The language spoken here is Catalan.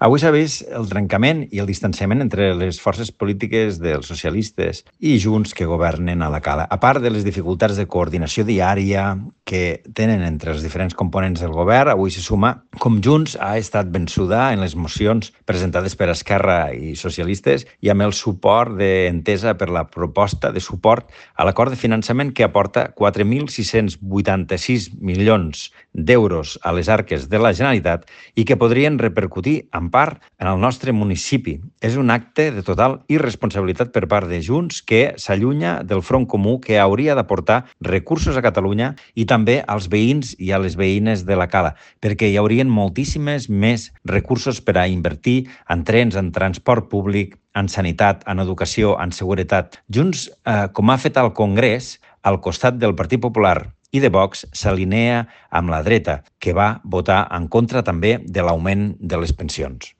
Avui s'ha vist el trencament i el distanciament entre les forces polítiques dels socialistes i Junts que governen a la Cala. A part de les dificultats de coordinació diària que tenen entre els diferents components del govern, avui se suma com Junts ha estat vençuda en les mocions presentades per Esquerra i socialistes i amb el suport d'Entesa per la proposta de suport a l'acord de finançament que aporta 4.686 milions d'euros a les arques de la Generalitat i que podrien repercutir en part en el nostre municipi. És un acte de total irresponsabilitat per part de Junts que s'allunya del front comú que hauria d'aportar recursos a Catalunya i també als veïns i a les veïnes de la Cala, perquè hi haurien moltíssimes més recursos per a invertir en trens, en transport públic, en sanitat, en educació, en seguretat. Junts, com ha fet al Congrés, al costat del Partit Popular i de Vox, s'alinea amb la dreta, que va votar en contra també de l'augment de les pensions.